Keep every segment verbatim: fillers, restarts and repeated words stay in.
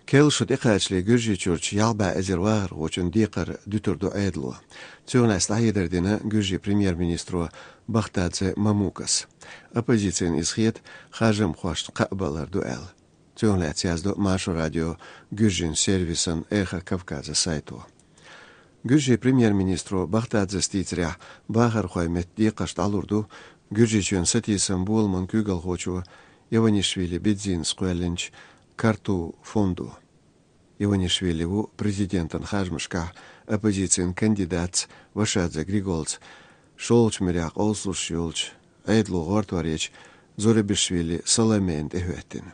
Керла шу тӀекхачале Гуьржийчуьрчу ялх бӀе эзар вахархочун декхар дуьтур ду Ӏедало. Цунах лаьцна дӀахьедар дина Гуьржийн премьер-министро Бахтадзе Мамукас. Оппозицина иза хета харжамхошна кхаъ балар ду аьлла. Цунах лаьцна яздо Маршо радион гуьржийн сервисан «Эхо Кавказа» сайто. Гуьржийн премьер-министро Бахтадзес дийцарехь, бахархойн метта декхарш дӀалур ду Гуьржийчоьнан сатийсам боламан куьйгалхочо Иванишвили Бедзинас кхоьллинчу «Карту» фондо. Иванишвили ву президентан харжамашкахь оппозицин кандидатца Вашадзе Григолца, шолгӀачу муьрехь къовсалуш йолчу Ӏедало гӀортор ечу Зурабишвили Саломена тӀехӀоьттина.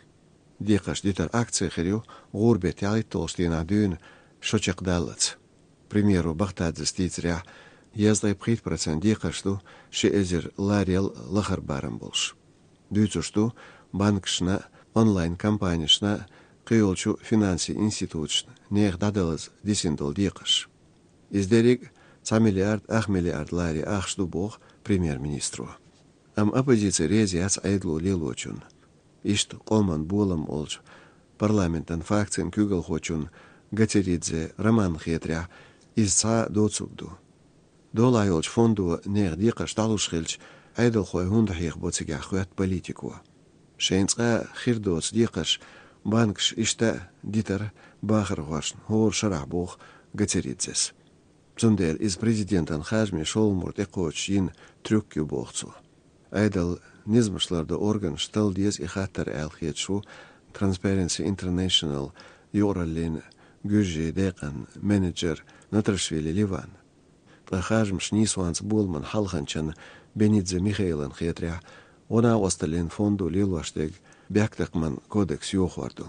Декхарш дуьтар акци хир ю гӀуран беттан ялхитталгӀачу дийнахь дуьйна шо чекхдаллалц. Премьеро Бахтадзес дийцарехь, дезткъе пхийтта процент декхарш ду ши эзар ларел лахара барам болуш. Дуьйцуш ду банкашна, онлайн-компанешна, кхийолчу финансийн институташна нехан дӀадалаза дисина долу декхарш. Иза дерриг а цхьа миллиард ах миллиард ларе ахча ду, боху премьер-министро. Амма оппозици реза яц Ӏедало лелочунна. Иштта къоман болам олучу парламентан фракцин куьйгалхочунна Гацеридзе Романна хетарехь, иза цхьа доцург ду. Долахь йолчу фондо нехан декхарш дӀалуш хилча, Ӏедалхой хӀунда хьехабо цигахь, хоьтту политико. Шайна цкъа а хир доцу декхарш банкаша иштта а дитара бахархошна хӀора шарахь, боху Гацеридзес. Цундела иза президентан харжамийн шолгӀа мур тӀекхочуш йина трюк ю, боху цо. Ӏедалан низамаш лардо органаша талла деза и хаттар аьлла хеташ ву Transparency International юкъараллин Гуьржийн декъан менеджер Натрашвили Ливан. Ткъа харжамаш нийсонца боламан хьалханчан Бенидзе Михаилан хетарехь, гӀо-накъосталлин фондо лелош дерг бехктакхаман кодекс йохор ду.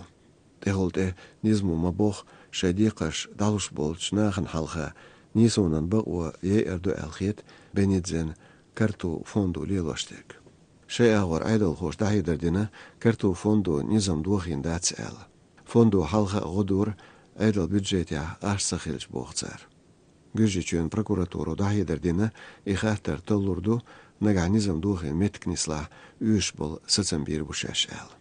ТӀехула тӀе низамо ма-бохху, шайн декхарш дӀалуш болчу нахана хьалха нийсонан бакъо яйар ду аьлла хета Бенидзен «Карту» фондо лелош дерг. Шайн агӀор Ӏедалхоша дӀахьедар дина, «Карту» фондо низам дохийна дац аьлла. Фондо хьалха а гӀо дора, Ӏедалан бюджетехь ахча ца хилча, боху цара. Гуьржийчоьнан прокуратуро дӀахьедар дина, и хаттар таллур ду, нагахь низам дохийна меттиг нислахь, оьшуш болу сацам бийр бу шаьш аьлла.